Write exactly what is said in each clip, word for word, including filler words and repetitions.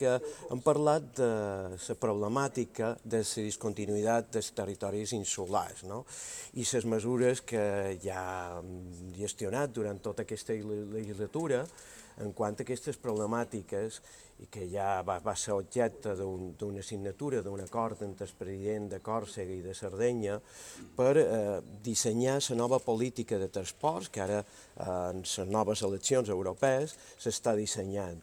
que hem parlat de la problemàtica de la discontinuïtat dels territoris insulars, no? I les mesures que ja hem gestionat durant tota aquesta legislatura en quant a aquestes problemàtiques i que ja va, va ser objecte d'una signatura d'un acord entre el president de Còrsega i de Sardenya per eh, dissenyar la nova política de transports que ara eh, en les noves eleccions europees s'està dissenyant.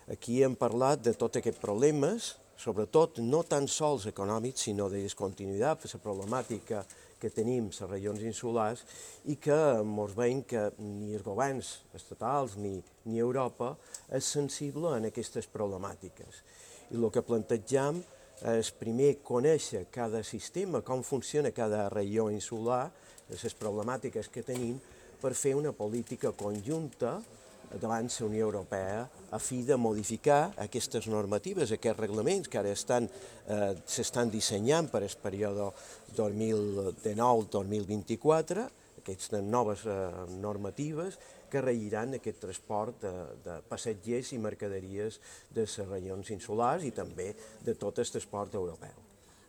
Aquí hem parlat de tots aquests problemes, sobretot no tan sols econòmics, sinó de discontinuïtat, per la problemàtica que tenim a les regions insulars i que ens veiem que ni els governs estatals ni, ni Europa és sensible en aquestes problemàtiques. I el que plantegem és primer conèixer cada sistema, com funciona cada regió insular, les problemàtiques que tenim, per fer una política conjunta davant la Unió Europea a fi de modificar aquestes normatives, aquests reglaments que ara estan, eh, s'estan dissenyant per al període dos mil dinou dos mil vint-i-quatre, aquestes noves eh, normatives que regiran aquest transport de, de passatgers i mercaderies de les regions insulars i també de tot el transport europeu.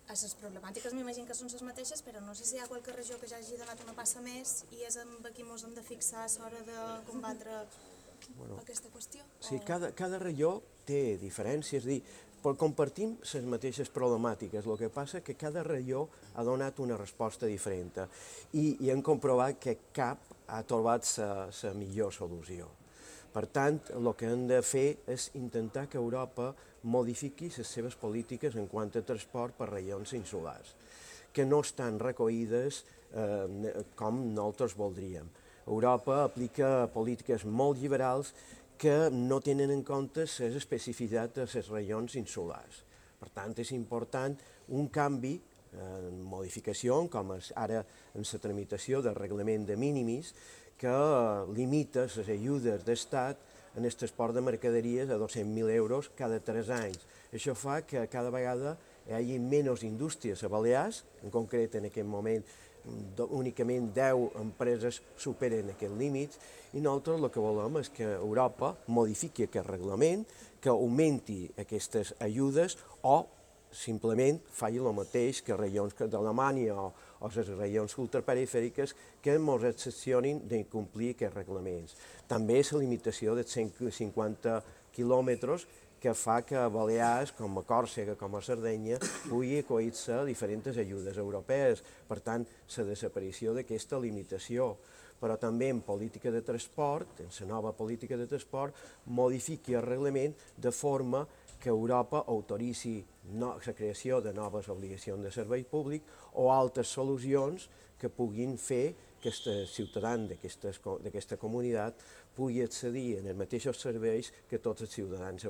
Les problemàtiques m'imagino que són les mateixes, però no sé si hi ha qualque regió que ja hagi donat una passa més i és amb aquí ens hem de fixar a l'hora de combatre bueno, aquesta qüestió? Sí, o... cada, cada regió té diferències, és a dir, però compartim les mateixes problemàtiques, el que passa que cada regió ha donat una resposta diferent i, i hem comprovat que cap ha trobat la millor solució. Per tant, el que hem de fer és intentar que Europa modifiqui les seves polítiques en quant a transport per regions insulars, que no estan recollides eh, com nosaltres voldríem. Europa aplica polítiques molt liberals que no tenen en compte les especificitats de les regions insulars. Per tant, és important un canvi en modificació, com és ara en la tramitació del reglament de mínimis, que limita les ajudes d'estat en el transport de mercaderies a dos-cents mil euros cada tres anys. Això fa que cada vegada hi hagi menys indústries a Balears, en concret en aquest moment únicament deu empreses superen aquests límits i nosaltres el que volem és que Europa modifiqui aquest reglament, que augmenti aquestes ajudes o simplement faci el mateix que regions d'Alemanya o, o les regions ultraperifèriques que ens excepcionin d'incomplir aquests reglaments. També la limitació de cent cinquanta quilòmetres que fa que a Balears, com a Còrsega, com a Sardenya, pugui acollir-se a diferents ajudes europees. Per tant, la desaparició d'aquesta limitació. Però també en política de transport, en la nova política de transport, modifiqui el reglament de forma que Europa autoritzi la creació de noves obligacions de servei públic o altres solucions que puguin fer que els ciutadans d'aquesta comunitat pugui accedir en els mateixos serveis que tots els ciutadans europeus.